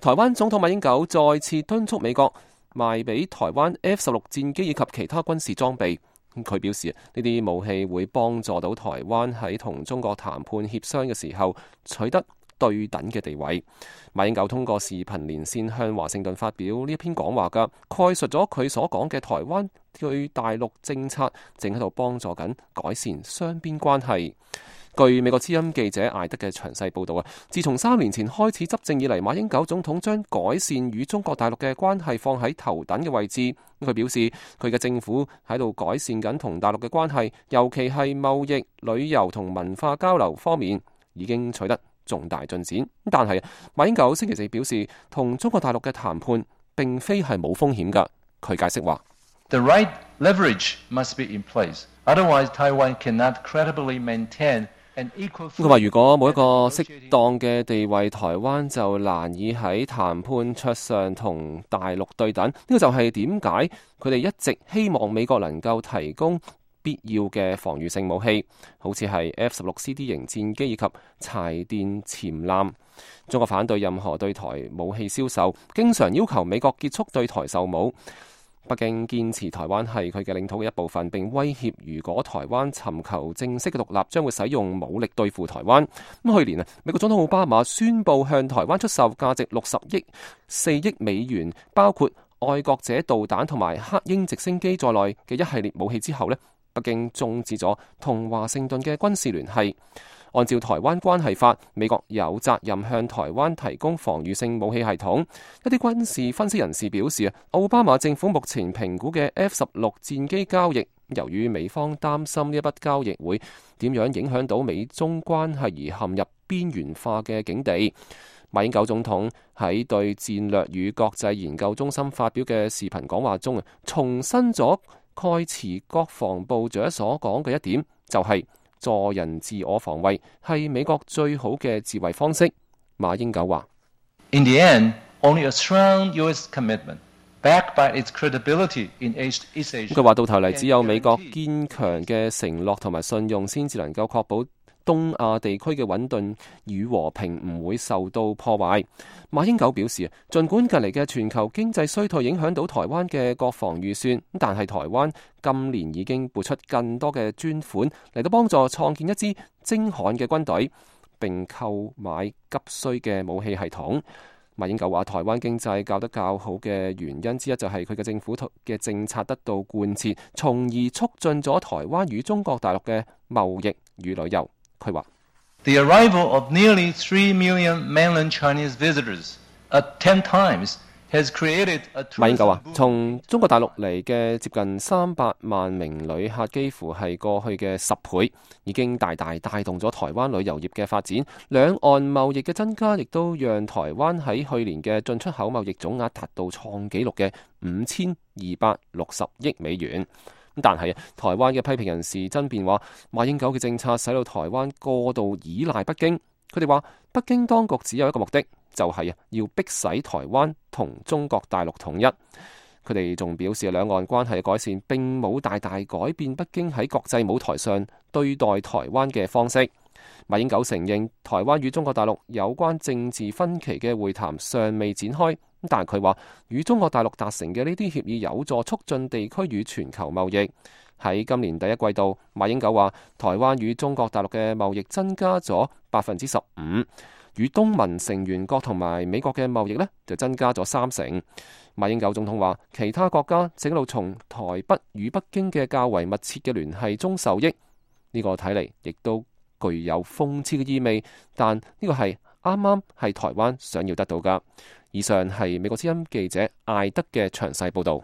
台灣總統馬英九再次敦促美國賣俾台灣 F-16 戰機以及其他軍事裝備。佢表示呢啲武器會幫助到台灣喺同中國談判協商嘅時候取得對等嘅地位。馬英九通過視頻連線向華盛頓發表呢一篇講話㗎，概述咗佢所講嘅台灣對大陸政策正喺度幫助緊改善雙邊關係。據美國之音記者艾德嘅詳細報導啊，自從3年前開始執政以嚟，馬英九總統將改善與中國大陸嘅關係放喺頭等嘅位置。佢表示，佢嘅政府喺度改善緊同大陸嘅關係，尤其係貿易、旅遊同文化交流方面已經取得重大進展。但係馬英九星期四表示，同中國大陸嘅談判並非係冇風險㗎。佢解釋話：The right leverage must be in place, otherwise Taiwan cannot credibly maintain。佢話：如果冇一個適當嘅地位，台灣就難以喺談判桌上同大陸對等。呢個就係點解佢哋一直希望美國能夠提供必要嘅防禦性武器，好似係 F-16CD 型戰機以及柴電潛艦。中國反對任何對台武器銷售，經常要求美國結束對台售武。北京堅持台灣係佢嘅領土嘅一部分，並威脅如果台灣尋求正式嘅獨立，將會使用武力對付台灣。咁去年美國總統奧巴馬宣布向台灣出售價值64億美元，包括愛國者導彈同埋黑鷹直升機在內嘅一系列武器之後，北京終止咗同華盛頓嘅軍事聯繫。按照台灣關係法，美國有責任向台灣提供防禦性武器系統。一啲軍事分析人士表示，奧巴馬政府目前評估嘅 F-16 戰機交易，由於美方擔心呢一筆交易會點樣影響到美中關係而陷入邊緣化嘅境地。馬英九總統喺對戰略與國際研究中心發表嘅視頻講話中，重申咗蓋茨國防部長所講嘅一點，就係助人自我防衛係美國最好嘅自衛方式。馬英九話：In the end, only a strong U.S. commitment, backed by its credibility in East Asia。佢話到頭嚟，只有美國堅強嘅承諾同埋信用，先至能夠確保東亞地區嘅穩定與和平唔會受到破壞。馬英九表示，儘管近嚟嘅全球經濟衰退影響到台灣嘅國防預算，但係台灣今年已經撥出更多嘅專款嚟到幫助創建一支精悍嘅軍隊，並購買急需嘅武器系統。馬英九話，台灣經濟較得較好嘅原因之一就係佢嘅政府嘅政策得到貫徹，從而促進咗台灣與中國大陸嘅貿易與旅遊。佢話：The arrival of nearly 3 million mainland Chinese visitors at 10 times has created a。馬英九話：從中國大陸嚟嘅接近300萬名旅客，幾乎係過去嘅10倍，已經大大帶動咗台灣旅遊業嘅發展。兩岸貿易嘅增加，亦都讓台灣喺去年嘅進出口貿易總額達到創紀錄嘅5260億美元。但係台灣嘅批評人士爭辯話，馬英九嘅政策使到台灣過度依賴北京。佢哋話，北京當局只有一個目的，就係要迫使台灣同中國大陸統一。佢哋仲表示，兩岸關係嘅改善並冇大大改變北京喺國際舞台上對待台灣嘅方式。馬英九承認台灣與中國大陸有關政治分歧嘅會談尚未展開，但係佢話與中國大陸達成嘅呢啲協議有助促進地區與全球貿易。喺今年第一季度，馬英九話台灣與中國大陸嘅貿易增加咗15%，與東盟成員國同埋美國嘅貿易呢就增加咗30%。馬英九總統話，其他國家正喺度從台北與北京嘅較為密切嘅聯繫中受益。呢個睇嚟亦都具有諷刺嘅意味，但呢個係啱啱係台灣想要得到㗎。以上係美國之音記者艾德嘅詳細報導。